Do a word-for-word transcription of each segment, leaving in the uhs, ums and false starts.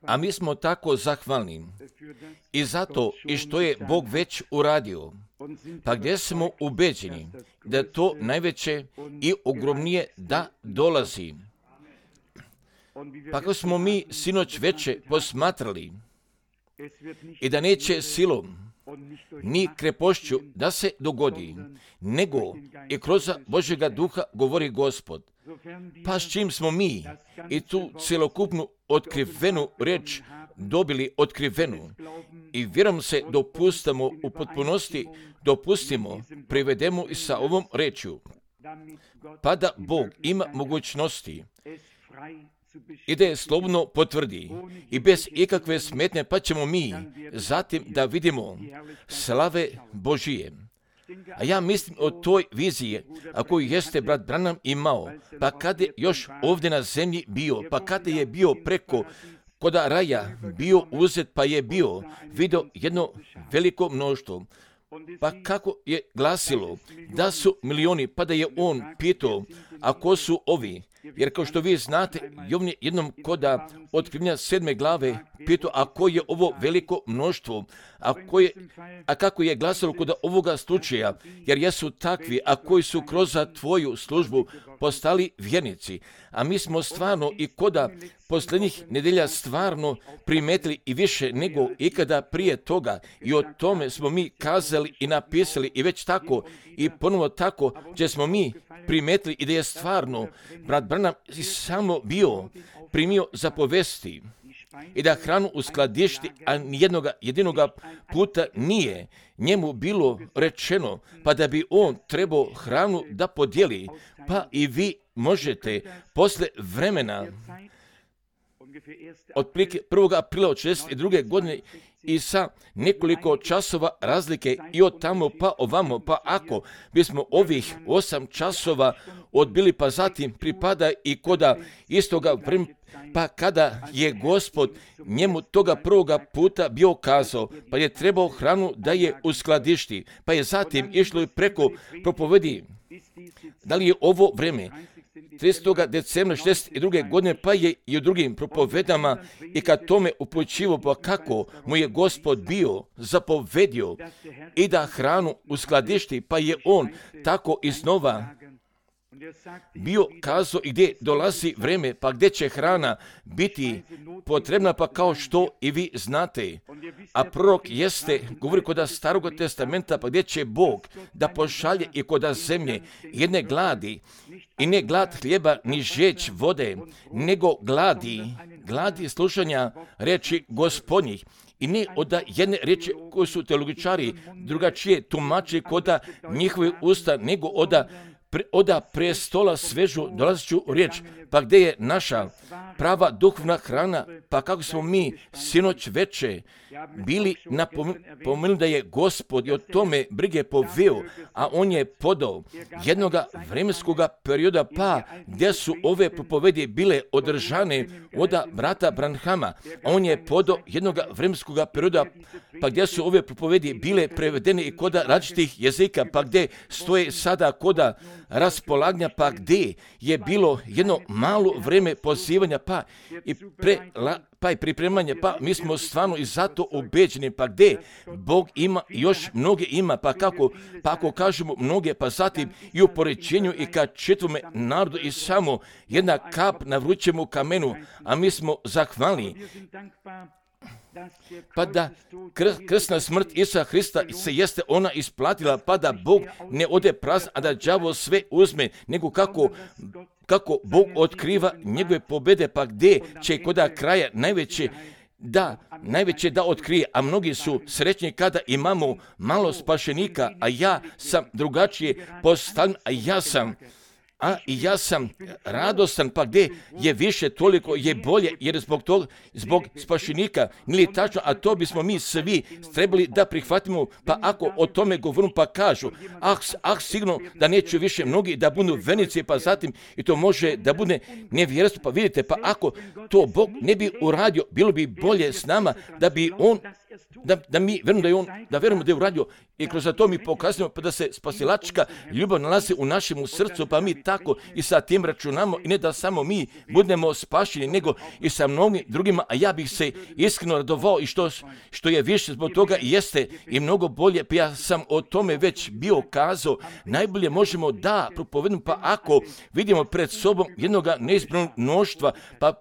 A mi smo tako zahvalni i zato i što je Bog već uradio, pa gdje smo ubeđeni da to najveće i ogromnije da dolazi. Pa kako smo mi sinoć veče posmatrali i da neće silom ni krepošću da se dogodi, nego i kroz Božjega duha govori Gospod. Pa s čim smo mi i tu cjelokupnu otkrivenu riječ dobili otkrivenu i vjerom se dopustimo u potpunosti, dopustimo, privedemo i sa ovom rečju, pa da Bog ima mogućnosti i da je slobodno potvrdi i bez ikakve smetnje, pa ćemo mi zatim da vidimo slave Božije. A ja mislim o toj viziji, a koju jeste brat Branham imao, pa kada je još ovdje na zemlji bio, pa kada je bio preko koda raja bio uzet, pa je bio vidio jedno veliko mnoštvo. Pa kako je glasilo da su milioni, pa da je on pitao, a ko su ovi? Jer kao što vi znate, Jovan je jednom koda otkrivanja sedme glave pitao, a ko je ovo veliko mnoštvo, a, ko je, a kako je glasilo kod ovoga slučaja, jer jesu takvi, a koji su kroz tvoju službu postali vjernici. A mi smo stvarno i koda posljednjih nedelja stvarno primetili i više nego ikada prije toga, i o tome smo mi kazali i napisali i već tako i ponovo tako, gdje smo mi primetili i da je stvarno brat Branham samo bio primio zapovesti i da hranu uskladišti, a nijednoga jedinoga puta nije njemu bilo rečeno, pa da bi on trebao hranu da podijeli, pa i vi možete posle vremena otprilike prvog aprila od šezdeset druge godine i sa nekoliko časova razlike i od tamo pa ovamo, pa ako bismo ovih osam časova odbili, pa zatim pripada i koda istoga vremena, pa kada je Gospod njemu toga prvoga puta bio kazao, pa je trebao hranu da je uskladišti, pa je zatim išlo i preko propovedi. Da li je ovo vreme tridesetog decembra šezdeset druge godine, pa je i u drugim propovedama i kad tome upućivo, pa kako mu je Gospod bio zapovedio i da hranu uskladišti, pa je on tako iznova bio kazao i gdje dolazi vreme, pa gdje će hrana biti potrebna, pa kao što i vi znate. A prorok jeste, govori kod Starog testamenta, pa gdje će Bog da pošalje i kod zemlje jedne gladi, i ne glad hljeba ni žeć vode, nego gladi, gladi slušanja reči Gospodnjih. I ne od jedne riječi koje su teologičari drugačije tumači kod njihove usta, nego od oda prestola svežu dolazeću riječ, pa gdje je naša prava duhovna hrana, pa kako smo mi sinoć veče bili napomenuli da je Gospod i o tome brige poveo, a on je podao jednoga vremenskog perioda, pa gdje su ove propovedi bile održane od brata Branhama, a on je podao jednoga vremenskog perioda, pa gdje su ove propovedi bile prevedene i kod različitih jezika, pa gdje stoje sada kod raspolaganja, pa gdje je bilo jedno malo vrijeme pozivanja, pa i pre, la, pa i pripremanje, pa mi smo stvarno i zato ubeđeni, pa gdje Bog ima, još mnoge ima, pa kako, pa ako kažemo mnoge, pa zatim i u poređenju i kad čitavome narodu i samo jedna kap na vrućemu kamenu, a mi smo zahvalni. Pa da krsna smrt Isusa Hrista se jeste ona isplatila, pa da Bog ne ode prazan, a da đavo sve uzme, nego kako kako Bog otkriva njegove pobjede, pa gdje će koda kraja najveće da, najveće da otkrije, a mnogi su srećni kada imamo malo spašenika, a ja sam drugačije postavljen, a ja sam A i ja sam radostan, pa gdje je više, toliko je bolje, jer zbog toga, zbog spašenika, nije tačno, a to bismo mi svi trebali da prihvatimo, pa ako o tome govorim, pa kažu, ah, ah sigurno da neće više mnogi da budu vernici, pa zatim i to može da bude nevjerstvo, pa vidite, pa ako to Bog ne bi uradio, bilo bi bolje s nama da bi on da, da mi verujemo da je on, da verujemo da je uradio i kroz to mi pokazujemo pa da se spasilačka ljubav nalazi u našem srcu, pa mi tako i sa tim računamo i ne da samo mi budemo spašeni, nego i sa mnogim drugima, a ja bih se iskreno radovao i što, što je više zbog toga jeste i mnogo bolje, pa ja sam o tome već bio kazao, najbolje možemo da propovedemo, pa ako vidimo pred sobom jednoga neizbranog mnoštva, pa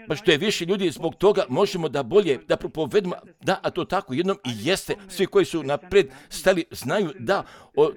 Pa što je više ljudi, zbog toga možemo da bolje, da propovedemo, da, a to tako jednom i jeste. Svi koji su napred stali znaju da o,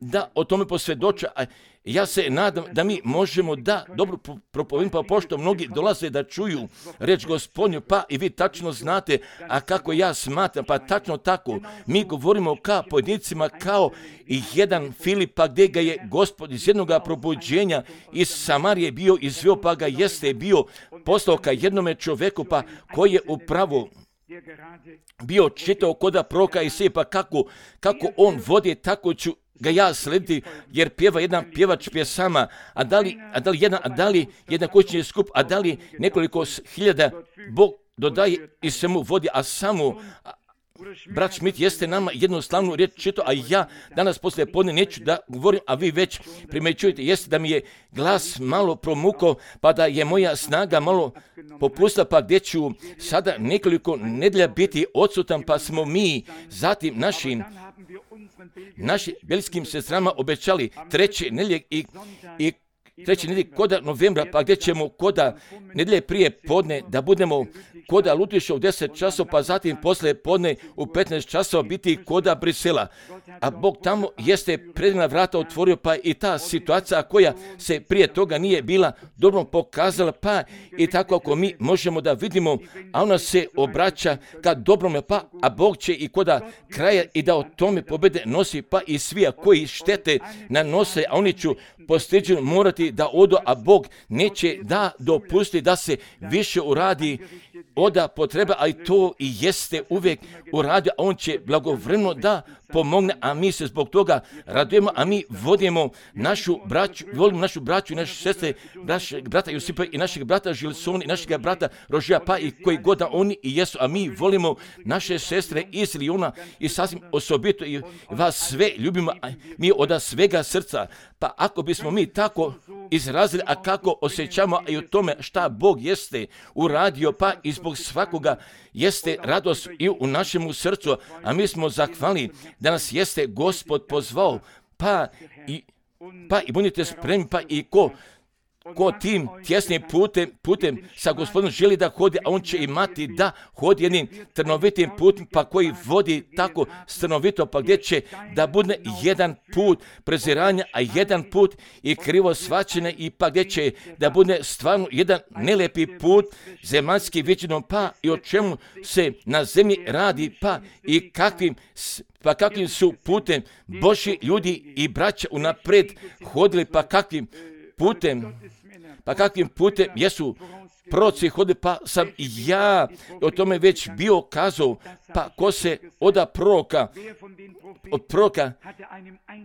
da o tome posvjedoče, a ja se nadam da mi možemo da dobro propovedimo, pa pošto mnogi dolaze da čuju reč Gospodnju, pa i vi tačno znate, a kako ja smatram, pa tačno tako, mi govorimo kao pojedinacima, kao i jedan Filip, pa gdje ga je Gospod iz jednog probuđenja iz Samarije bio izveo, pa ga jeste bio poslao ka jednome čoveku, pa koji je upravo bio čitao koda proka i sve, pa kako, kako on vodi, tako ću ga ja slediti, jer pjeva jedan pjevač pjesama, a da li, a da li jedan, a da li jedan kućni skup, a da li nekoliko hiljada, Bog dodaje i se mu vodi, a samo brat Schmidt jeste nama jednu slavnu riječ čitao, a ja danas poslije podne neću da govorim, a vi već primećujete, jeste da mi je glas malo promukao, pa da je moja snaga malo popustila, pa gdje ću sada nekoliko nedelja biti odsutan, pa smo mi zatim našim našim belskim sestrama obećali treće nedjelje i, i treće nedjelje koda novembra, pa gdje ćemo koda nedjelje prije podne da budemo koda Lutiša u deset časova, pa zatim poslije podne u petnaest časova biti koda Brisela. A Bog tamo jeste predivna vrata otvorio, pa i ta situacija koja se prije toga nije bila dobro pokazala, pa i tako ako mi možemo da vidimo, a ona se obraća ka dobrome, pa a Bog će i koda kraja i da o tome pobjede nosi, pa i svi koji štete nanose, a oni ću postiđeno morati da odu, a Bog neće da dopusti da se više uradi oda potreba, a i to i jeste uvijek uradio, a on će blagovremeno da pomogne, a mi se zbog toga radujemo, a mi vodimo našu braću, volimo našu braću i naše sestre, našeg brata Josipa i našeg brata Žilsona i našeg brata Rožija, pa i koji god da oni i jesu, a mi volimo naše sestre iz Lijuna i sasvim osobito i vas sve ljubimo, a mi od svega srca. Pa ako bismo mi tako izrazili, a kako osjećamo i o tome šta Bog jeste uradio, pa i zbog svakoga jeste radost i u našemu srcu, a mi smo zahvalni da nas jeste Gospod pozvao, pa i, pa i budite spremni, pa i ko ko tim tjesnim putem, putem sa Gospodom želi da hodi, a on će imati da hodi jednim trnovitim putem, pa koji vodi tako strnovito, pa gdje će da bude jedan put preziranja, a jedan put i krivo shvaćene, i pa gdje će da bude stvarno jedan nelepi put zemaljski viđenom, pa i o čemu se na zemlji radi, pa i kakvim pa kakvim su putem Božji ljudi i braća unapred hodili, pa kakvim putem, pa kakvim putem jesu proroci hodili, pa sam i ja o tome već bio kazao, pa ko se oda proroka, od proroka,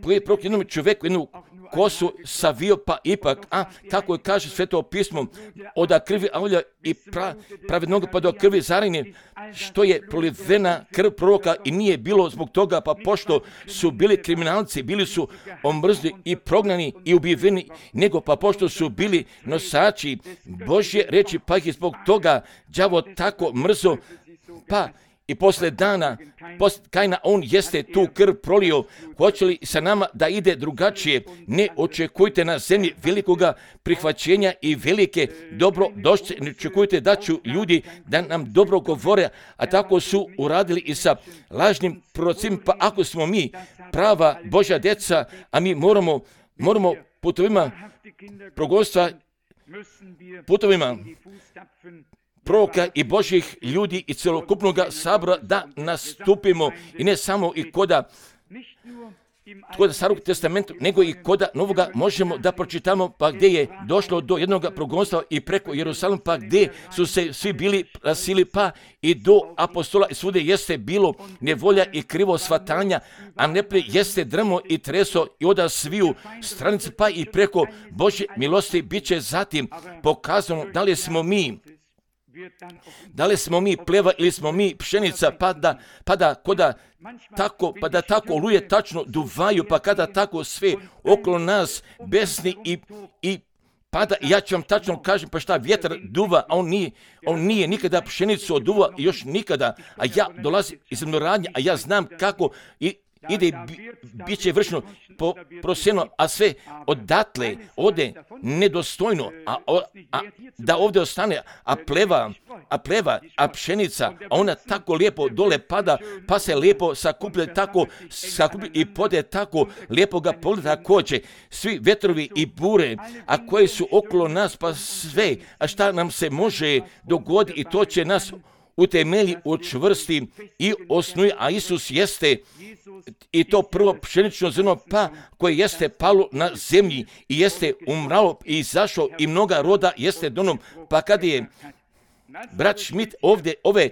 koji je prorok jednom čovjeku, jednu kosu savio, pa ipak, a kako je kaže Sveto pismo, oda krvi aulja i pra, pravednog pa do krvi zaranjen, što je prolivena krv proroka i nije bilo zbog toga, pa pošto su bili kriminalci, bili su omrzli i prognani i ubijeni, nego pa pošto su bili nosači Božje reči, pa ih zbog toga đavo tako mrzo, pa i posle dana, posle Kajna, on jeste tu krv prolio. Hoće li sa nama da ide drugačije? Ne očekujte na zemlji velikoga prihvaćenja i velike dobro došće. Ne očekujte da ću ljudi da nam dobro govore, a tako su uradili i sa lažnim prorocima. Pa ako smo mi prava Božja djeca, a mi moramo, moramo putovima progonstva, putovima proroka i Božjih ljudi i celokupnog sabora da nastupimo, i ne samo i koda koda Starog testamenta, nego i koda Novoga možemo da pročitamo, pa gdje je došlo do jednog progonstva i preko Jerusalima, pa gdje su se svi bili rasili, pa i do apostola, i svude jeste bilo nevolja i krivo shvatanja, a neprijatelj jeste drmo i treso i oda sviju stranice, pa i preko Božje milosti bit će zatim pokazano da li smo mi Da li smo mi pleva ili smo mi pšenica, pa da, pa da, koda tako, pa da tako oluje tačno duvaju, pa kada tako sve okolo nas besni i, i pada, ja ću vam tačno kažem, pa šta vjetar duva, a on nije, on nije nikada pšenicu oduva, još nikada, a ja dolazim iz zemljoradnje, a ja znam kako i ide i bi, bit će vršno po prosjeno, a sve odatle ode nedostojno, a, a da ovdje ostane, a pleva, a pleva, a pšenica, a ona tako lijepo dole pada, pa se lijepo sakuplje tako, sakuplje i pode tako, lijepo ga polita koće, svi vetrovi i bure, a koji su okolo nas, pa sve, a šta nam se može dogoditi i to će nas utemelji, učvrsti i osnuje, a Isus jeste i to prvo pšenično zrno pa koje jeste palo na zemlji i jeste umralo i izašao i mnoga roda jeste donom, pa kad je brat Schmidt ovdje ove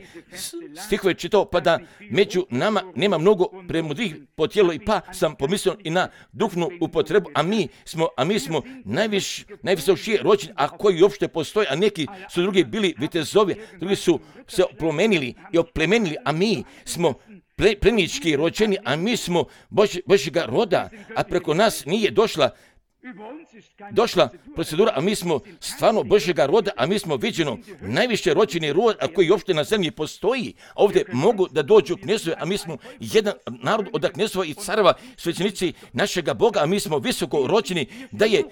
stihove čitao, pa da među nama nema mnogo premudrih po tijelu i pa sam pomislio i na duhovnu upotrebu, a mi smo, a mi smo najviš, najvisošije rođeni, a koji uopšte postoje, a neki su drugi bili vitezovi, drugi su se oplemenili i oplemenili, a mi smo ple, plemički rođeni, a mi smo Bož, Božjega roda, a preko nas nije došla došla procedura, a mi smo stvarno Božjega roda, a mi smo viđeno najviše rođeni rod, a koji uopšte na zemlji postoji. A ovdje mogu da dođu knezove, a mi smo jedan narod od knezova i careva, svećenici našega Boga, a mi smo visoko rođeni, da je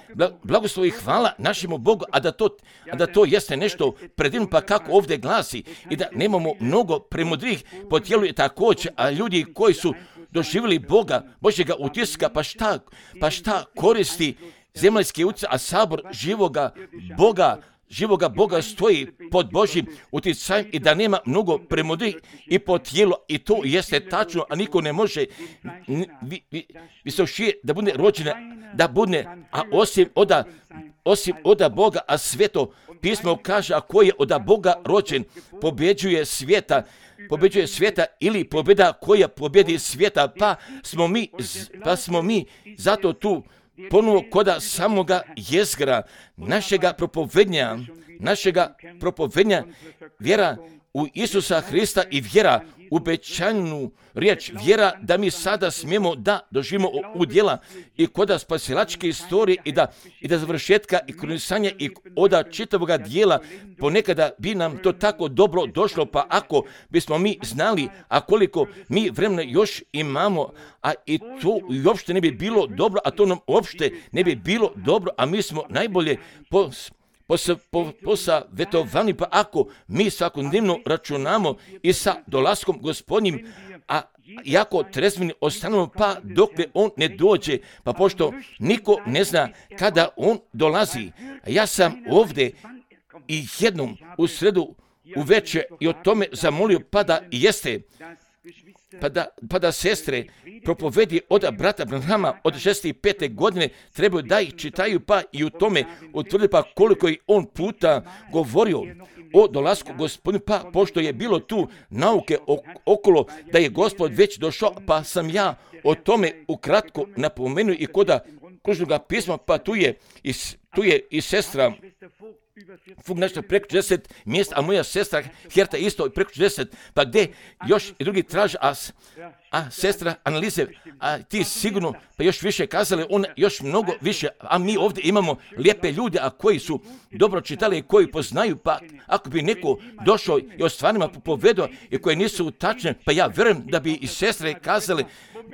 blagoslov i hvala našemu Bogu, a da to, a da to jeste nešto predivno, pa kako ovdje glasi, i da nemamo mnogo premudrih po tijelu i također, a ljudi koji su doživjeli Boga, Božjega utiska, pa šta, pa šta koristi zemaljski utjecaj, a sabor živoga Boga, živoga Boga stoji pod Božjim utjecajem i da nema mnogo premudrih i po tijelu, i to jeste tačno, a niko ne može vi, vi, visošije da bude rođena, da bude, a osim oda, osim oda Boga, a sveto pismo kaže, a ko je oda Boga rođen, pobjeđuje svijeta, pobjeđuje svijeta ili pobjeda koja pobjedi svijeta, pa smo mi, pa smo mi zato tu ponovo koda samoga jezgra našega propovednja, našega propovednja, vjera u Isusa Hrista i vjera u obećanu riječ, vjera da mi sada smijemo da doživimo u djela i koda spasilačke istorije i da, i da završetka i kronisanja i oda čitavoga dijela, ponekada bi nam to tako dobro došlo, pa ako bismo mi znali, a koliko mi vremena još imamo, a i to uopšte ne bi bilo dobro, a to nam uopšte ne bi bilo dobro, a mi smo najbolje po posavetovani, pa ako mi svakodnevno računamo i sa dolaskom Gospodnjim, a jako trezveni ostanemo, pa dokle on ne dođe, pa pošto niko ne zna kada on dolazi. Ja sam ovdje i jednom u sredu uveče i o tome zamolio, pa da jeste, pa da, pa da sestre propovedi od brata Branhama od šezdeset pete godine trebaju da ih čitaju, pa i u tome utvrdi pa koliko je on puta govorio o dolasku Gospodinu, pa pošto je bilo tu nauke okolo da je Gospod već došao, pa sam ja o tome ukratko napomenuo i koda kružnoga pisma, pa tu je i, tu je i sestra Fug nešto preko četrdeset mjesta, a moja sestra Herta isto preko četrdeset, pa gdje još i drugi traže, a, a sestra Analize, a ti sigurno pa još više kazali, on još mnogo više, a mi ovdje imamo lijepe ljude, a koji su dobro čitali i koji poznaju, pa ako bi neko došao i o stvarima povedao i koje nisu tačne, pa ja vjerujem da bi i sestre kazali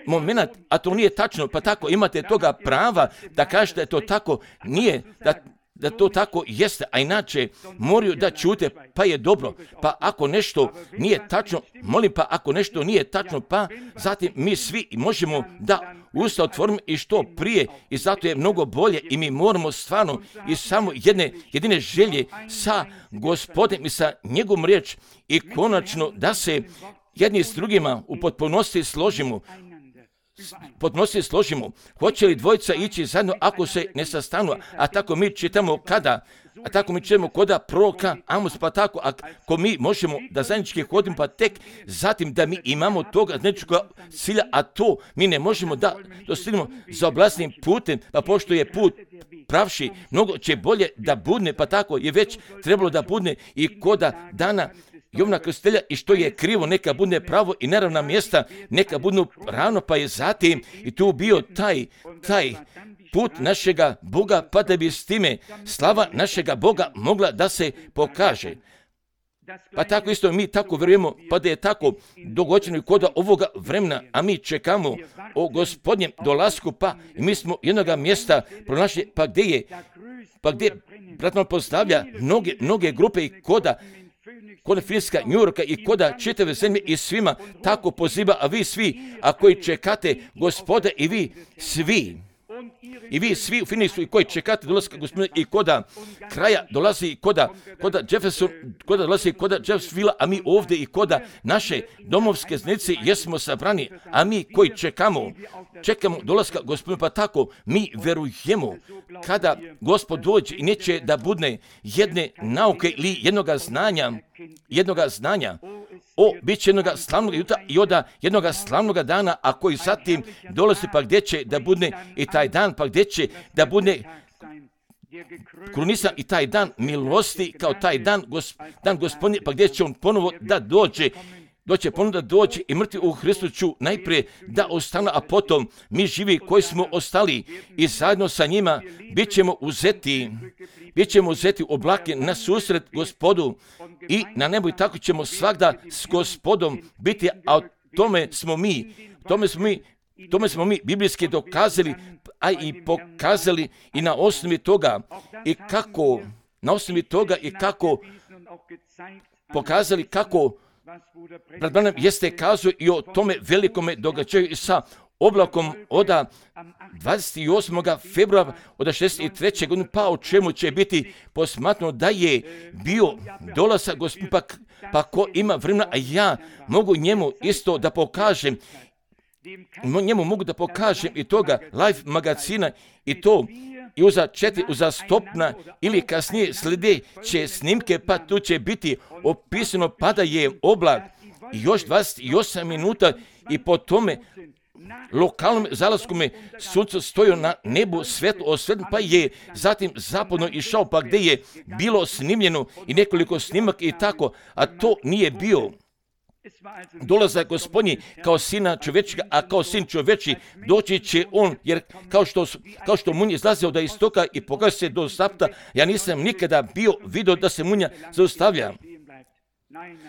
moment, a to nije tačno, pa tako imate toga prava da kažete da to tako nije, da da to tako jeste, a inače moraju da čute, pa je dobro, pa ako nešto nije tačno, molim, pa ako nešto nije tačno, pa zatim mi svi možemo da usta otvorimo i što prije, i zato je mnogo bolje i mi moramo stvarno i samo jedne jedine želje sa Gospodem i sa njegovom riječ i konačno da se jedni s drugima u potpunosti složimo, potpunosti složimo. Hoće li dvojica ići zajedno ako se ne sastanu, a tako mi čitamo kada, A tako mi čujemo koda proroka Amos, pa tako, ako mi možemo da zajednički hodimo, pa tek zatim da mi imamo toga zajedničkog cilja, a to mi ne možemo da dostignemo za oblastnim putem, pa pošto je put pravši, mnogo će bolje da budne, pa tako je već trebalo da budne i koda dana Jovana Krstitelja, i što je krivo neka budne pravo i neravna mjesta neka budnu ravno, pa je zatim i tu bio taj, taj put našega Boga, pa da bi s time slava našega Boga mogla da se pokaže. Pa tako isto mi tako vjerujemo, pa da je tako dogođeno i koda ovoga vremena, a mi čekamo o Gospodnjem dolasku, pa i mi smo jednoga mjesta pronašli, pa gdje je, pa gdje brat nam postavlja mnoge, mnoge grupe i koda koda Finska, Njurka i koda čitave zemlje i svima tako poziva, a vi svi, a koji čekate Gospoda i vi svi, i vi svi u Finisku i koji čekate dolaska Gospodina i koda kraja dolazi i koda, koda Jefferson, koda dolazi i koda Jeffersonville, a mi ovdje i koda naše domovske znice jesmo sabrani, a mi koji čekamo, čekamo dolaska Gospodina, pa tako mi verujemo kada Gospod dođe i neće da budne jedne nauke ili jednoga znanja, jednoga znanja, o, bit će jednoga slavnog jutra i oda jednoga slavnoga dana, a koji zatim dolazi, pa gdje će da budne i taj dan, pa gdje će da budne krunisan i taj dan milosti, kao taj dan, gos, dan Gospodnje, pa gdje će on ponovo da dođe, doće ponovo da dođe i mrtvi u Hristu ću najprije da ostane, a potom mi živi koji smo ostali i zajedno sa njima bit ćemo uzeti, bit ćemo uzeti u oblake na susret Gospodu i na nebu, i tako ćemo svagda s Gospodom biti, a o tome smo mi, tome smo mi, tome smo mi biblijski dokazali, a i pokazali i na osnovi toga i kako, na osnovi toga i kako pokazali kako brat Branham jeste kazao i o tome velikome događaju i sa oblakom od dvadeset osmog februara od šezdeset treće godine, pa o čemu će biti posmatrano da je bio dolazak Gospodina, pa, pa ko ima vremena, a ja mogu njemu isto da pokažem, njemu mogu da pokažem i toga live magazina i to i uza četiri uzastopna ili kasnije sljedeće snimke, pa tu će biti opisano pa da je oblak i još dvadeset osam minuta i po tome lokalnom zalasku sunce stojio na nebu svetlo osvetljeno, pa je zatim zapadno išao, pa gdje je bilo snimljeno i nekoliko snimak i tako, a to nije bio dolazak Gospodnji kao sina čovečega, a kao sin čoveči doći će on, jer kao što, kao što munja izlazio da istoka i pokaže se do zapta, ja nisam nikada bio vidio da se munja zaustavlja.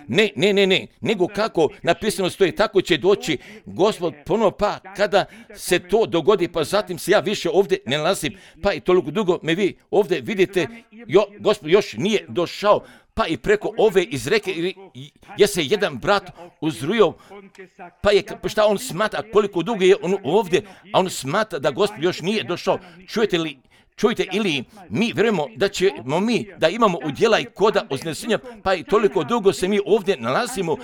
Ne, ne, ne, ne, nego kako napisano stoji, tako će doći Gospod ponovo, pa kada se to dogodi, pa zatim se ja više ovdje ne nalazim, pa i toliko dugo me vi ovdje vidite, jo, Gospod još nije došao, pa i preko ove izreke je se jedan brat uzrujao, pa je, pa šta on smatra, koliko dugo je on ovdje, a on smatra da Gospod još nije došao. Čujete li? Čujte, ili mi vjerujemo da ćemo mi, da imamo udjela i koda uznesenja, pa i toliko dugo se mi ovdje nalazimo,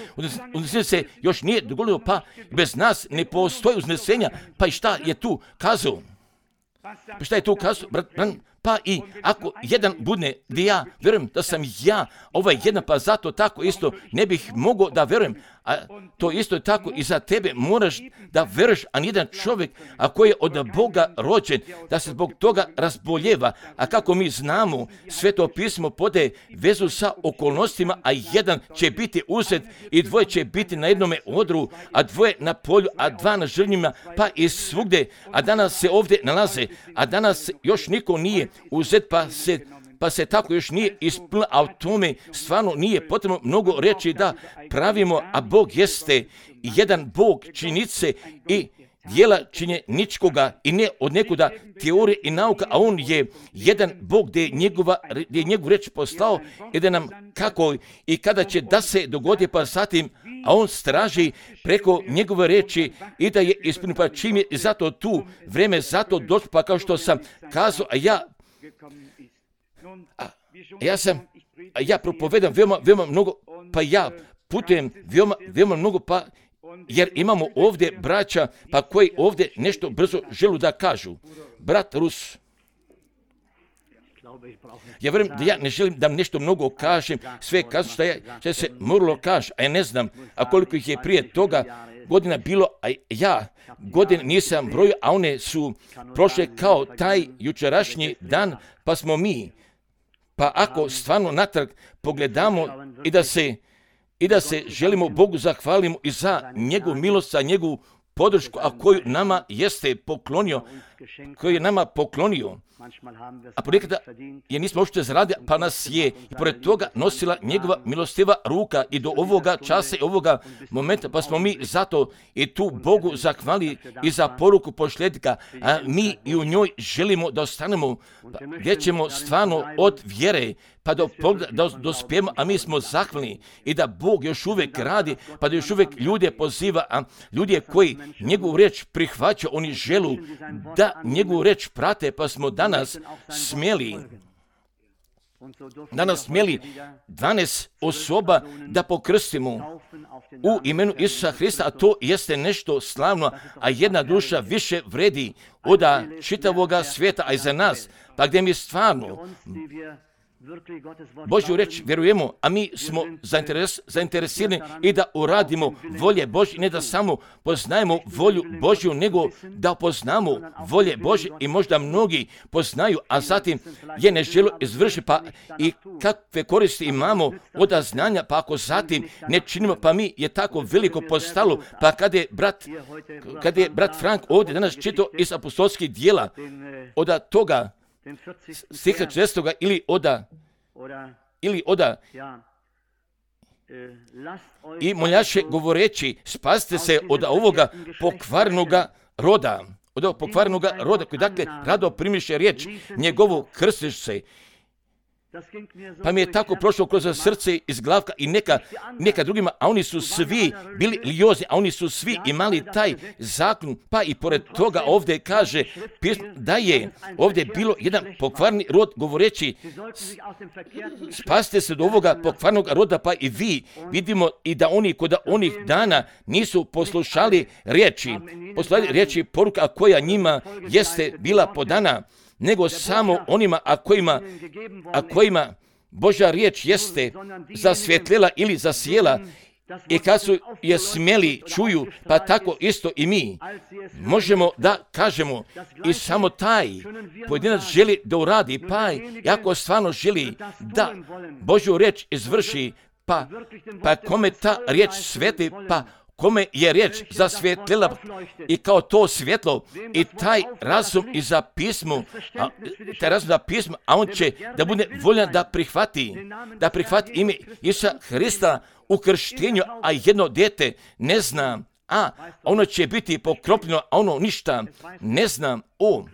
uznesenja se još nije dogodilo, pa bez nas ne postoji uznesenja, pa i šta je tu kazao? Pa šta je tu kazao? Pa i ako jedan budne gdje ja vjerujem da sam ja ovaj jedan, pa zato tako isto ne bih mogao da vjerujem, a to isto je tako i za tebe moraš da vjeruješ, a nijedan čovjek, a koji je od Boga rođen, da se zbog toga razboljeva, a kako mi znamo, Sveto pismo podaje vezu sa okolnostima, a jedan će biti uzet i dvoje će biti na jednome odru, a dvoje na polju, a dva na žrvnjima, pa i svugdje, a danas se ovdje nalaze, a danas još niko nije uzet, pa se pa se tako još nije ispunila, a o tome stvarno nije potrebno mnogo reći da pravimo, a Bog jeste jedan Bog činjenice i djela činjeničkoga i ne od nekuda teorije i nauka, a on je jedan Bog gdje je, njegova, gdje je njegovu reč poslao i da nam kako i kada će da se dogodi, pa zatim, a on straži preko njegove reči i da je ispunio, pa čim je zato tu vreme, zato došlo, pa kao što sam kazao, a ja A, ja sam, a ja propovedam veoma, veoma mnogo, pa ja putujem veoma, veoma mnogo, pa jer imamo ovdje braća, pa koji ovdje nešto brzo želu da kažu. Brat Rus. Ja vjerujem da ja ne želim da nešto mnogo kažem, sve kažem što, je, što je se moralo kaži, a ja ne znam, a koliko ih je prije toga godina bilo, a ja godine nisam brojio, a one su prošle kao taj jučerašnji dan, pa smo mi. Pa ako stvarno natrag pogledamo i da se, i da se želimo Bogu zahvalimo i za njegovu milost, za njegovu podršku, a koju nama jeste poklonio, koju je nama poklonio. A ponekada je nismo uopšte zaradili, pa nas je i pored toga nosila njegova milostiva ruka i do ovoga časa i ovoga momenta, pa smo mi zato i tu Bogu zahvali i za poruku pošljednika, a mi i u njoj želimo da ostanemo, gdje ćemo stvarno od vjere, pa do pogleda, da dospijemo, a mi smo zahvalni i da Bog još uvijek radi, pa da još uvijek ljude poziva, a ljudi koji njegovu reč prihvaćaju, oni želu da njegovu reč prate, pa smo danas smjeli, danas smjeli dvanaest osoba da pokrstimo u imenu Isusa Hrista, a to jeste nešto slavno, a jedna duša više vredi od čitavoga svijeta, a i za nas, pa gdje mi stvarno Božju reč vjerujemo, a mi smo zainteres, zainteresirani i da uradimo volje Božje, ne da samo poznajemo volju Božju, nego da poznamo volje Božje i možda mnogi poznaju, a zatim je ne žele izvršiti, pa i kakve koristi imamo od znanja, pa ako zatim ne činimo, pa mi je tako veliko postalo, pa kada je brat, kada je brat Frank ovdje danas čitao iz apostolskih dijela, od toga stiha čestoga ili oda ili oda i moljaše govoreći spasite se od ovoga pokvarnoga roda, od ovog pokvarnoga roda koji dakle rado primiše riječ njegovu krstiš se. Pa mi je tako prošlo kroz srce iz glavka i neka, neka drugima, a oni su svi bili liozni, a oni su svi imali taj zakon, pa i pored toga ovdje kaže da je ovdje bilo jedan pokvarni rod govoreći spasite se do ovoga pokvarnog roda, pa i vi vidimo i da oni kod onih dana nisu poslušali riječi, poslušali riječi poruka koja njima jeste bila podana, nego samo onima a kojima, a kojima Božja riječ jeste zasvjetlila ili zasijela i kad su je smjeli čuju, pa tako isto i mi možemo da kažemo i samo taj pojedinac želi da uradi, pa i ako stvarno želi da Božju riječ izvrši, pa, pa kome ta riječ sveti, pa kome je riječ zasvjetlila i kao to svjetlo i taj razum i za pismo, a, taj razum za pismo, a on će da bude voljan da prihvati, da prihvati ime Isusa Hrista u krštenju, a jedno dijete ne zna, a ono će biti pokropljeno, a ono ništa ne zna o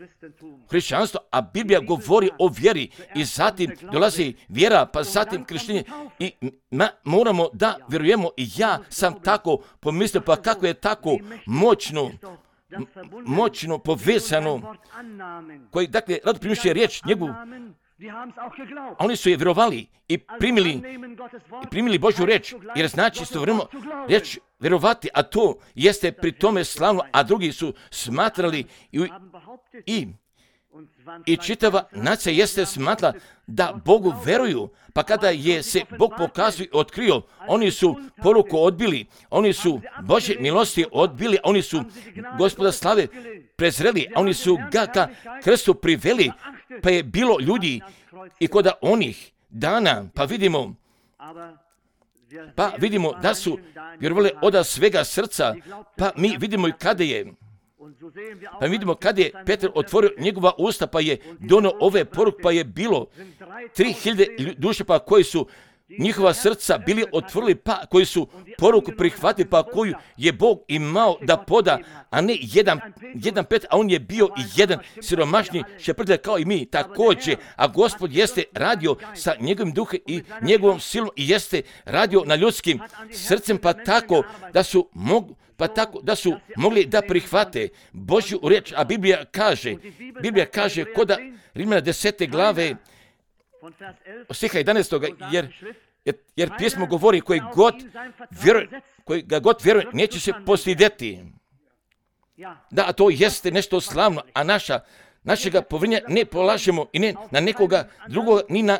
hrišćanstvu, a Biblija govori o vjeri i zatim dolazi vjera, pa zatim krštenje i ma, moramo da vjerujemo i ja sam tako pomislio, pa kako je tako moćno, moćno povezano, koji dakle rado primiše riječ njegovu, a oni su je vjerovali i primili, i primili Božju reč, jer znači istovremeno reč vjerovati, a to jeste pri tome slavno, a drugi su smatrali i, i, i čitava nacija jeste smatrala da Bogu veruju, pa kada je se Bog pokazao i otkrio, oni su poruku odbili, oni su Božje milosti odbili, oni su Gospoda slave prezreli, oni su ga ka krstu priveli, pa je bilo ljudi i kod onih dana, pa vidimo, pa vidimo da su vjerovali od svega srca, pa mi vidimo i kada je, pa vidimo kada je Petar otvorio njegova usta, pa je donio ove poruke, pa je bilo tri hiljade duše, pa koji su njihova srca bili otvorili, pa koji su poruku prihvatili, pa koju je Bog imao da poda, a ne jedan, jedan pet, a on je bio i jedan siromašni šeprtlja kao i mi također, a Gospod jeste radio sa njegovim duhom i njegovom silom i jeste radio na ljudskim srcem, pa tako da su mogli pa tako da su mogli da prihvate Božju riječ, a Biblija kaže, Biblija kaže koda Rimljana desete glave, stiha jedanaestog jer, jer, jer pismo govori koji god vjeruje, koji ga god vjeruje, neće se postideti. Da, to jeste nešto slavno, a naša, našega povjerenja ne polažemo i ne na nekoga drugoga, ni na,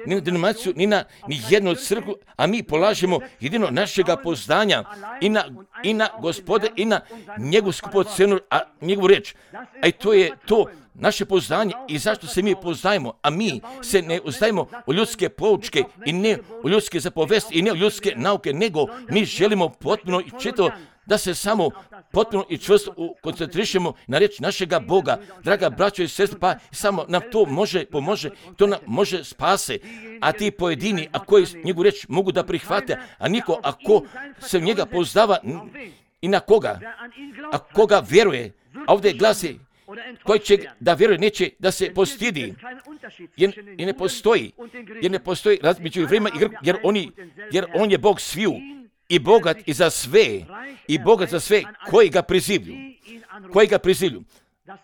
ni na denominaciju, ni na ni jednu crkvu, a mi polažemo jedino našega poznanja i na, i na Gospode i na njegovu skupocenu, a njegovu riječ. A i to je to naše poznanje i zašto se mi poznajemo, a mi se ne uzdajemo u ljudske poučke i ne u ljudske zapovesti i ne u ljudske nauke, nego mi želimo potpuno i čito da se samo potpuno i čvrsto koncentrišemo na riječ našega Boga. Draga braćo i sestre, pa samo nam to može, pomože, to nam može spase. A ti pojedini, a koji njegovu riječ mogu da prihvate, a niko ako se u njega poznava i na koga, a koga vjeruje, a ovdje glasi koji će da vjeruje neće da se postidi, jer, jer ne postoji, jer ne postoji razmeđu vremena i Grka, jer, oni, jer on je Bog sviju i bogat i za sve, i bogat za sve koji ga prizivlju, koji ga prizivlju.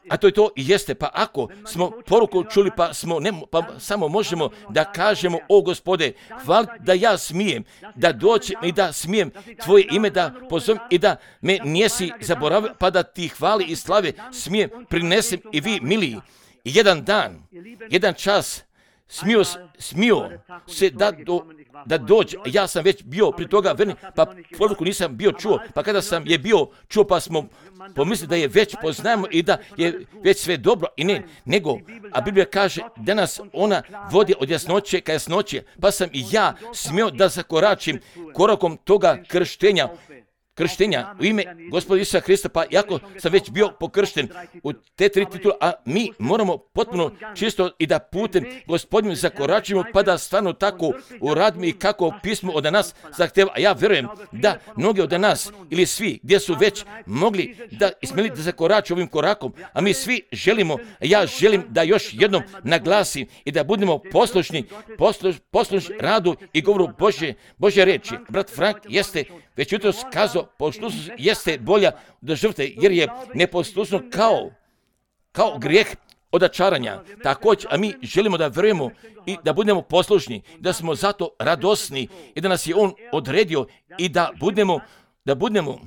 A to je to i jeste, pa ako smo poruku čuli, pa, smo, ne, pa samo možemo da kažemo, o Gospode, hvala da ja smijem, da dođem i da smijem tvoje ime da pozovem i da me nisi zaboravio, pa da ti hvali i slave smijem prinesem i vi miliji. I jedan dan, jedan čas, smio, smio se da, do, da dođe, ja sam već bio pri toga verni, pa poruku nisam bio čuo, pa kada sam je bio čuo, pa smo pomislili da je već poznajemo i da je već sve dobro i ne, nego, a Biblija kaže da nas ona vodi od jasnoće ka jasnoće, pa sam i ja smio da zakoračim korakom toga krštenja, krštenja u ime Gospoda Isusa Hrista, pa jako sam već bio pokršten u te tri titula, a mi moramo potpuno čisto i da putem Gospodinu zakoračimo, pa da stvarno tako uradimo i kako pismo od nas zahtjeva. A ja vjerujem da mnogi od nas ili svi gdje su već mogli da ismeli da zakorače ovim korakom, a mi svi želimo, ja želim da još jednom naglasim i da budemo poslušni, posluš, poslušni radu i govoru Božje, Božje reči. Brat Frank jeste već jutro skazao, poslušnost jeste bolja od žrtve, jer je neposlušnost kao, kao grijeh od očaranja. Također, a mi želimo da vjerujemo i da budemo poslušni, da smo zato radosni i da nas je on odredio i da budemo, da budemo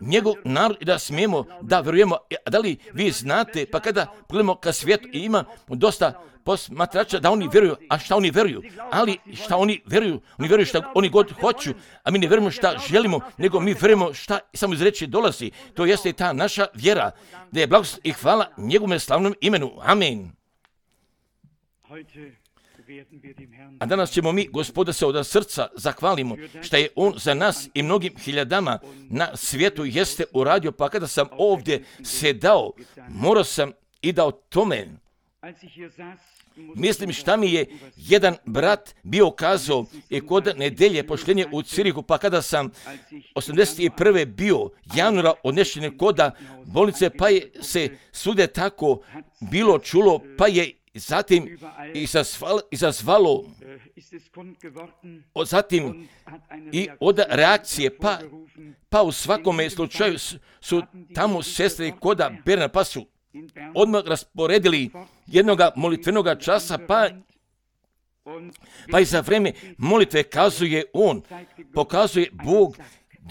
njegov narod i da smijemo da vjerujemo. Da li vi znate, pa kada pogledamo ka svijetu i ima dosta posmatrača da oni vjeruju, a šta oni vjeruju? Ali šta oni vjeruju? Oni vjeruju šta oni god hoću, a mi ne vjerujemo šta želimo, nego mi vjerujemo šta samo iz reči dolazi. To jeste ta naša vjera, da je blagost i hvala njegovom slavnom imenu. Amen. A danas ćemo mi, Gospoda, se od srca zahvalimo što je on za nas i mnogim hiljadama na svijetu jeste uradio, pa kada sam ovdje sedao, morao sam i da o tome mislim šta mi je jedan brat bio kazao i kod nedelje pošljenje u Cirihu, pa kada sam osamdeset prve bio januara odnešen koda bolnice, pa je se svude tako bilo čulo, pa je zatim izazvalo, izazvalo zatim i od reakcije, pa, pa u svakome slučaju su tamo sestre koda Berna, pa su odmah rasporedili jednoga molitvenoga časa, pa, pa i za vrijeme molitve kazuje on, pokazuje Bog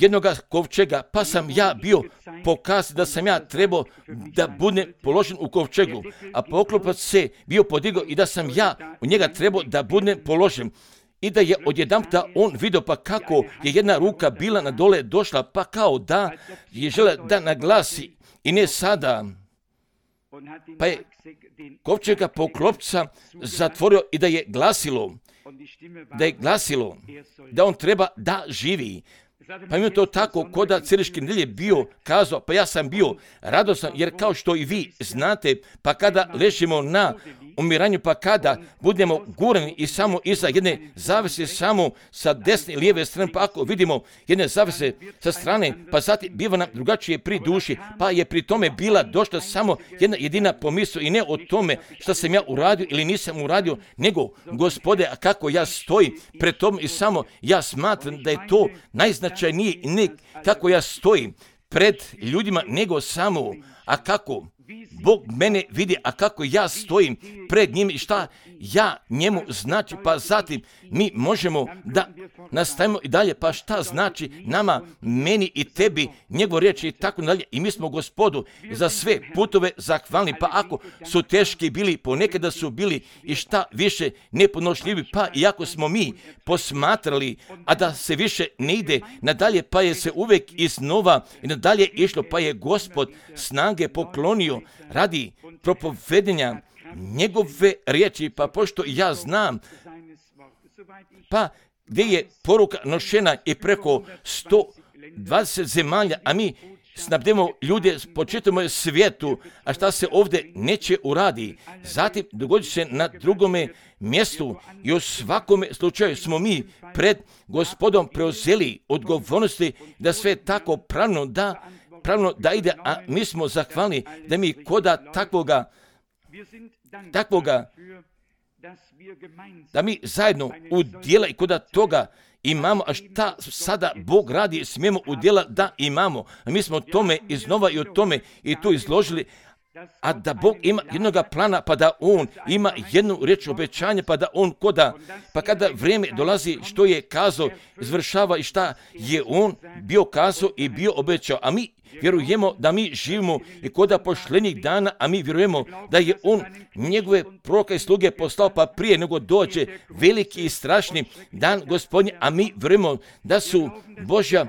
jednoga kovčega, pa sam ja bio pokazao da sam ja trebao da budem položen u kovčegu, a poklopac se bio podigao i da sam ja u njega trebao da budem položen. I da je odjedanputa on vidio pa kako je jedna ruka bila na dole došla, pa kao da je žela da naglasi i ne sada, pa je kovčega poklopca zatvorio i da je glasilo, da je glasilo da on treba da živi. Pa mi je to tako koda Ciriške nedelje bio kazao, pa ja sam bio radosan, jer kao što i vi znate, pa kada ležimo na umiranju, pa kada budemo gurani i samo iza jedne zavese, samo sa desne i lijeve strane, pa ako vidimo jedne zavese sa strane, pa zatim biva nam drugačije pri duši, pa je pri tome bila došla samo jedna jedina pomisao i ne o tome šta sam ja uradio ili nisam uradio, nego Gospode, a kako ja stojim pred tom i samo ja smatram da je to najznačajnije i ne kako ja stojim pred ljudima, nego samo, a kako Bog mene vidi, a kako ja stojim pred njim i šta ja njemu znači, pa zatim mi možemo da nastavimo i dalje, pa šta znači nama, meni i tebi, njegov riječ i tako dalje. I mi smo Gospodu za sve putove zahvalni, pa ako su teški bili, ponekada su bili i šta više nepodnošljivi, pa iako smo mi posmatrali, a da se više ne ide nadalje, pa je se uvek iznova i nadalje išlo, pa je Gospod snage poklonio radi propovedenja njegove riječi, pa pošto ja znam, pa gdje je poruka nošena i preko sto dvadeset zemalja, a mi snabdemo ljude po čitavom svijetu, a šta se ovdje neće uradi. Zatim dogodit se na drugome mjestu i u svakome slučaju smo mi pred Gospodom preuzeli odgovornosti da sve tako pravno da, pravno da ide, a mi smo zahvalni da mi koda takvoga, takvoga, da mi zajedno u djela i koda toga imamo, a šta sada Bog radi, smijemo u djela da imamo. A mi smo tome iznova i o tome i tu izložili, a da Bog ima jednoga plana, pa da On ima jednu riječ obećanja, pa da On koda, pa kada vrijeme dolazi što je kazao, izvršava i šta je On bio kazao i bio obećao. A mi vjerujemo da mi živimo i koda pošljenih dana, a mi vjerujemo da je On njegove proroka i sluge poslao, pa prije nego dođe veliki i strašni dan Gospodnji, a mi vjerujemo da su Božja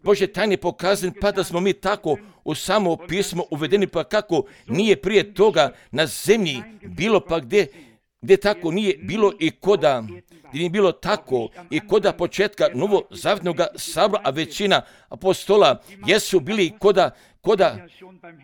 Božje tajne pokazane, pa da smo mi tako u samo pismo uvedeni, pa kako nije prije toga na zemlji bilo, pa gdje, gdje tako nije bilo i koda, gdje nije bilo tako i koda početka novozavjetnog sabora, a većina apostola jesu bili koda, koda,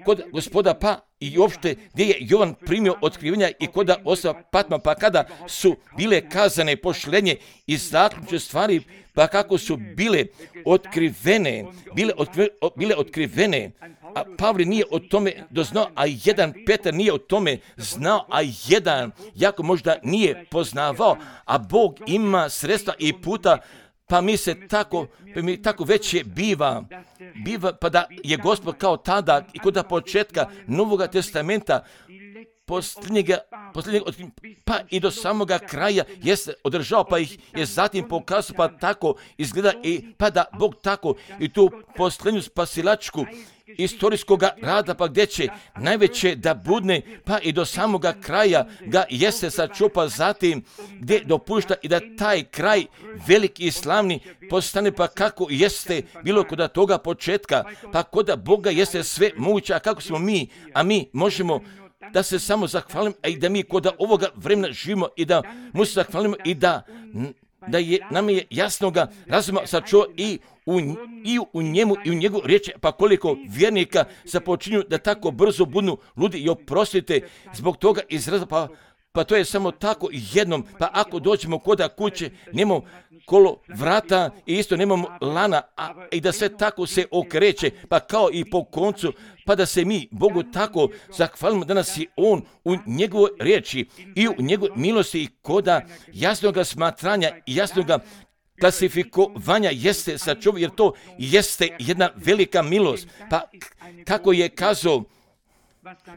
koda Gospoda, pa i uopšte gdje je Jovan primio otkrivenja i koda osoba Patma, pa kada su bile kazane pošlenje i zaključne stvari, pa kako su bile otkrivene, bile, otkri, bile otkrivene, a Pavle nije o tome doznao, a jedan Petar nije o tome znao, a jedan jako možda nije poznavao, a Bog ima sredstva i puta, pa mi se tako, pa mi tako veće biva, biva, pa da je Gospod kao tada i kod početka Novoga testamenta, posljednjega, posljednjega, pa i do samoga kraja jeste održao, pa ih je zatim pokazao, pa tako izgleda i pa da Bog tako i tu posljednju spasilačku istorijskoga rada, pa gdje će najveće da budne, pa i do samoga kraja ga jeste sačupa, zatim gdje dopušta i da taj kraj veliki i slavni postane, pa kako jeste bilo kod toga početka, pa kod Boga jeste sve moguće, a kako smo mi, a mi možemo da se samo zahvalim, a i da mi kod ovoga vremena živimo i da mu se zahvalimo i da, da je, nam je jasnoga razuma sačuva i u, i u njemu i u njegu riječi, pa koliko vjernika započinju da tako brzo budnu ludi i oprostite zbog toga izraza, pa, pa to je samo tako jednom, pa ako dođemo koda kuće, nemamo kolo vrata i isto nemamo lana, a i da sve tako se okreće, pa kao i po koncu, pa da se mi Bogu tako zahvalimo da nas je On u njegovoj riječi i u njegovoj milosti i koda jasnoga smatranja i jasnoga klasifikovanja jeste sačuva, jer to jeste jedna velika milost. Pa kako je kazao,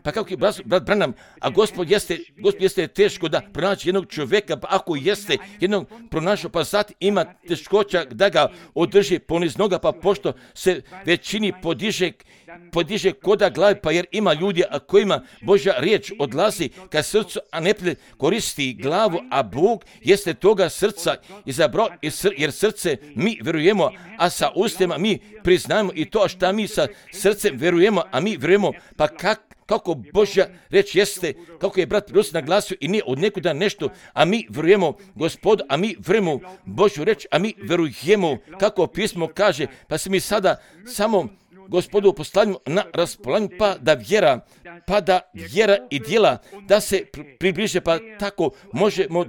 pa kako je brat, brat Branham, a Gospod jeste, Gospod jeste teško da pronaći jednog čovjeka, pa ako jeste jednog pronašao, pa zatim ima teškoća da ga održi poniz noga, pa pošto se većini podiže, podiže koda glave, pa jer ima ljudi a kojima Božja riječ odlazi ka srcu, a ne koristi glavu, a Bog jeste toga srca izabrao, jer srce mi vjerujemo, a sa ustima mi priznajemo i to šta mi sa srcem vjerujemo, a mi vjerujemo, pa kak kako Božja reč jeste, kako je brat Rus naglasio i nije od nekuda nešto, a mi vjerujemo Gospodu, a mi vjerujemo Božju reč, a mi vjerujemo kako pismo kaže, pa se mi sada samo Gospodu postavljamo na raspolaganju, pa da vjera, pa da vjera i djela da se približe, pa tako možemo,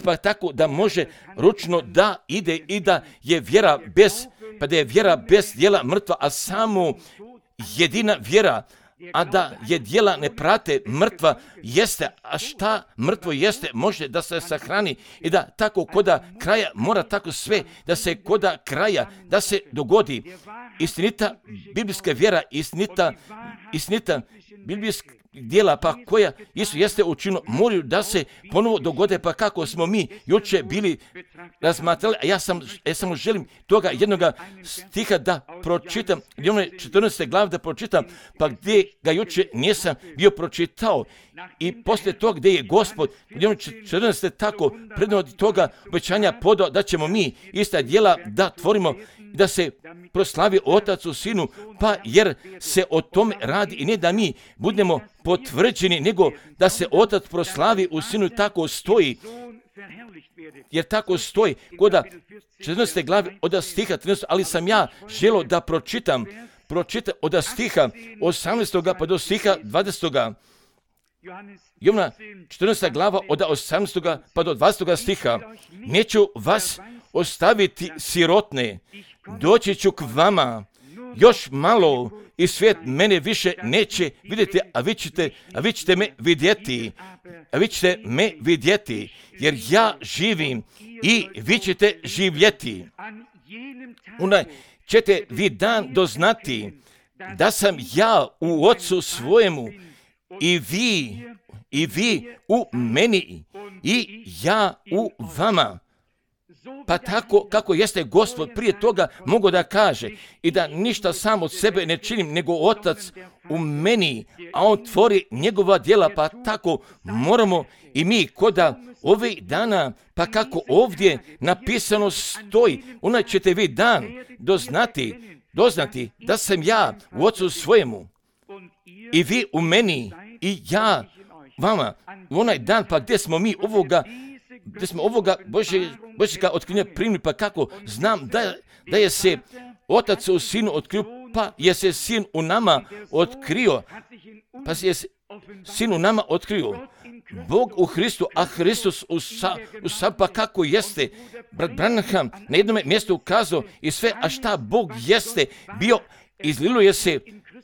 pa tako da može ručno da ide i da je vjera bez, pa da je vjera bez djela mrtva, a samo jedina vjera, a da je djela ne prate mrtva jeste, a šta mrtvo jeste može da se sahrani i da tako koda kraja mora tako sve da se koda kraja da se dogodi. Istinita biblijska vjera, istinita, istinita biblijska, djela pa koja Isus jeste učinio, moraju da se ponovo dogode, pa kako smo mi juče bili razmatrali, a ja sam, ja samo želim toga jednoga stiha da pročitam, gdje ono je četrnaeste glave da pročitam, pa gdje ga juče nisam bio pročitao. I poslije toga gdje je Gospod, gdje ono četrnaeste tako predno od toga obećanja podao da ćemo mi ista djela da tvorimo, da se proslavi Otac u Sinu, pa jer se o tome radi i ne da mi budemo potvrđeni, nego da se Otac proslavi u Sinu, tako stoji. Jer tako stoji kod četrnaeste glave od stiha trinaestog, ali sam ja želio da pročitam, pročitam od stiha osamnaestog pa do stiha dvadesetog. Jovana četrnaesta glava od osamnaestog pa do dvadesetog stiha. Neću vas ostaviti sirotne, doći ću k vama, još malo i svijet mene više neće vidjeti, a vi ćete, a vi ćete me vidjeti, a vi ćete me vidjeti, jer ja živim i vi ćete živjeti. Onaj ćete vi dan doznati da sam ja u Otcu svojemu i vi, i vi u meni i ja u vama. Pa tako kako jeste Gospod prije toga mogao da kaže i da ništa sam od sebe ne činim, nego Otac u meni, a On tvori njegova djela, pa tako moramo i mi koda ovih dana, pa kako ovdje napisano stoji, onaj ćete vi dan doznati, doznati da sam ja u Otcu svojemu i vi u meni i ja vama. U onaj dan, pa gdje smo mi ovoga gdje smo ovoga Božjega otkrivenja primili, pa kako znam da, da je se Otac u Sinu otkrio, pa je se Sin u nama otkrio, pa je se Sin u nama otkrio. Bog u Hristu, a Hristos u sa, u sa, pa kako jeste. Brat Branham na jednom mjestu ukazao i sve, a šta Bog jeste bio, izlilo je se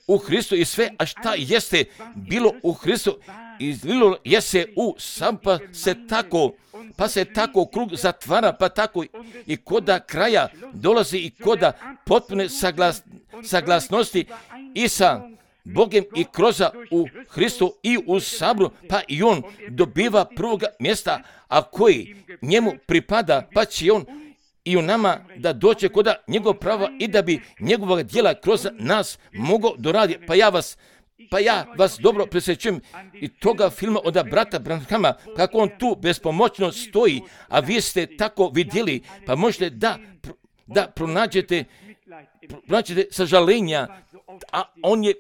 u Hristu i sve, a šta jeste bilo u Hristu, izlilo je se u sam, pa se tako, pa se tako krug zatvara, pa tako i koda kraja dolazi i koda potpune saglas, saglasnosti i sa Bogem i kroza u Hristu i u sabru, pa i on dobiva prvoga mjesta, a koji njemu pripada, pa će on i u nama da doće koda njegov prava i da bi njegova djela kroz nas mogao doraditi. Pa ja vas Pa ja vas dobro presjećujem i toga filma od brata Branhama, kako on tu bespomoćno stoji, a vi ste tako vidjeli, pa možete da, da pronađete, pronađete sažalenja, a on je,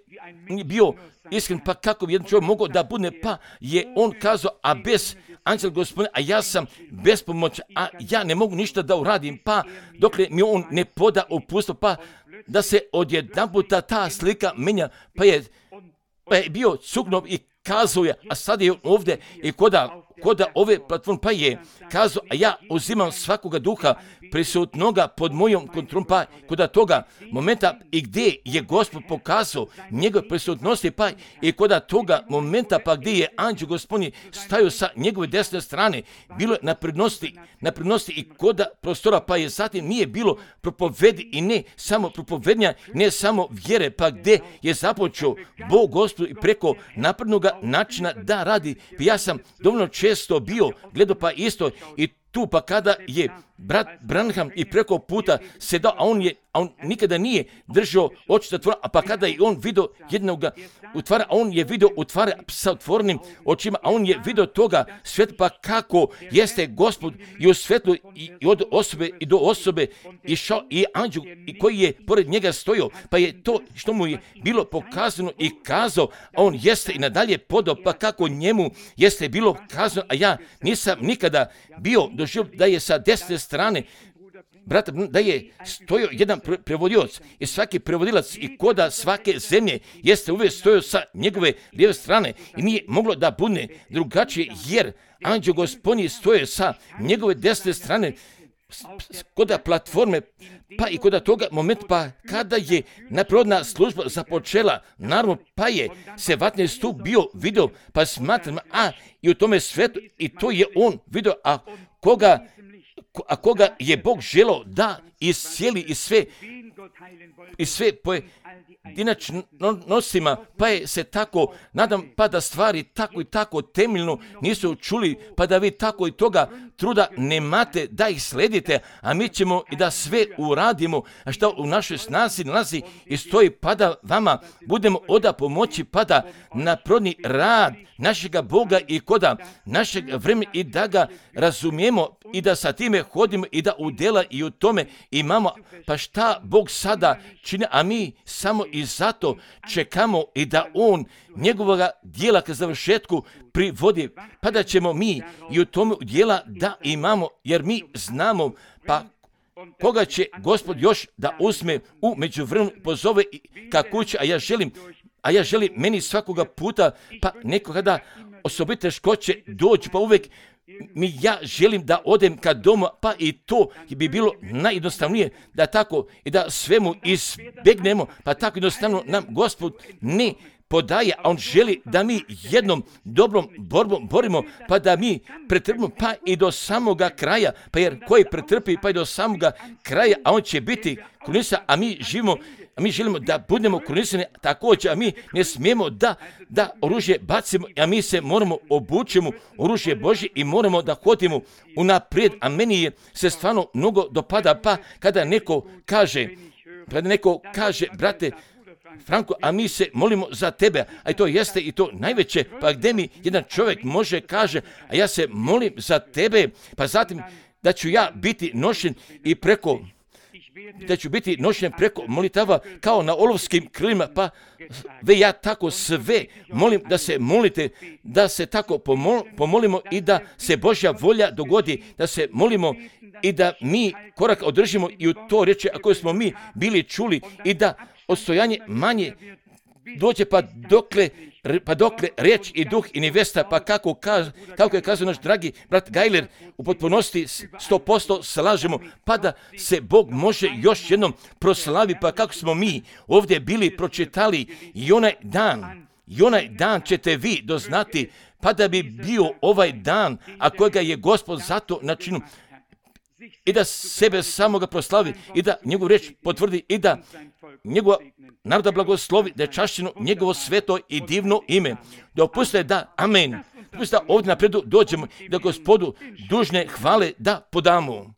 on je bio iskren, pa kako bi jedan čovjek mogao da bude, pa je on kazao, a bez anđela Gospodina, a ja sam bespomoćan, a ja ne mogu ništa da uradim, pa dokle mi on ne poda upustvo, pa da se odjedanputa ta slika menja, pa je Pa je bio cuknov i kazao je, a sad je ovdje i koda, koda ove platforme, pa je kazao, a ja uzimam svakoga duha prisutnoga pod mojom kontrolom, pa koda toga momenta i gdje je Gospod pokazao njegove prisutnosti, pa i koda toga momenta, pa gdje je anđeo Gospodnji stajao sa njegove desne strane, bilo je na prednosti, na prednosti i koda prostora, pa je zatim nije bilo propovedi i ne samo propovednja, ne samo vjere, pa gdje je započeo Bog Gospod i preko naprednoga načina da radi. Pa ja sam dovoljno često bio, gledao pa isto i tu, pa kada je brat Branham i preko puta sedao, a on je, a on nikada nije držao oči zatvorene, a pa kada je on vidio jednog utvara, a on je vidio utvara sa otvorenim očima, a on je vidio toga svijet, pa kako jeste Gospod i u svetlu i, i od osobe i do osobe išao i anđel i koji je pored njega stojao, pa je to što mu je bilo pokazano i kazao, a on jeste i nadalje podao, pa kako njemu jeste bilo kazano, a ja nisam nikada bio doživio da je sa desne strane brata, da je stojao jedan prevodioc i svaki prevodilac i koda svake zemlje jeste uvijek stojao sa njegove lijeve strane i nije moglo da bude drugačije, jer anđeo Gospodnji stoje sa njegove desne strane koda platforme, pa i koda toga momenta, pa kada je naprirodna služba započela, naravno, pa je se vatni stup bio video, pa smatram, a i u tome svetu, i to je on video, a koga, a koga je Bog želao da iscijeli i sve, i sve poje, dinačno nosima, pa je se tako, nadam, pa da stvari tako i tako temeljno nisu čuli, pa da vi tako i toga truda nemate da ih sledite, a mi ćemo i da sve uradimo, a što u našoj snazi nalazi i stoji, pa da vama budemo oda pomoći, pa da naprodni rad našega Boga i koda našeg vremena i da ga razumijemo i da sa time hodimo i da u djela i u tome imamo, pa šta Bog sada čini, a mi samo i zato čekamo i da On njegovoga djela ka završetku privodi, pa da ćemo mi i u tome djela da imamo, jer mi znamo, pa koga će Gospod još da uzme u međuvremenu pozove ka kući, a ja želim, a ja želim meni svakoga puta, pa nekoga da osobite teškoće dođu, pa uvijek mi ja želim da odem ka domu, pa i to bi bilo najjednostavnije da tako i da svemu izbjegnemo, pa tako jednostavno nam Gospod ne podaje, a On želi da mi jednom dobrom borbom borimo, pa da mi pretrpimo pa i do samoga kraja, pa jer koji pretrpi pa i do samoga kraja, a on će biti krunisan, a mi živimo, a mi želimo da budemo krunisani također, a mi ne smijemo da, da oružje bacimo, a mi se moramo obučimo oružje Božje i moramo da hodimo unaprijed, a meni je se stvarno mnogo dopada, pa kada neko kaže, kada neko kaže, brate Franko, a mi se molimo za tebe, a to jeste i to najveće, pa gdje mi jedan čovjek može kaže, a ja se molim za tebe, pa zatim da ću ja biti nošen i preko, da ću biti nošen preko molitava kao na olovskim krilima, pa ve ja tako sve molim da se molite, da se tako pomol, pomolimo i da se Božja volja dogodi, da se molimo i da mi korak održimo i u to reče, ako smo mi bili čuli i da odstojanje manje dođe pa dokle, pa dokle riječ i duh i nevesta, pa kako, kaz, kako je kazao naš dragi brat Gajler, u potpunosti sto posto slažemo, pa da se Bog može još jednom proslavi, pa kako smo mi ovdje bili pročitali i onaj dan, i onaj dan ćete vi doznati, pa da bi bio ovaj dan, a kojega je Gospod zato načinu, i da sebe samoga proslavi i da njegovu riječ potvrdi i da njegova naroda blagoslovi, da je čašćeno njegovo sveto i divno ime. Dopustite da, amen, dopustite da ovdje napredu dođemo i da Gospodu dužne hvale da podamo.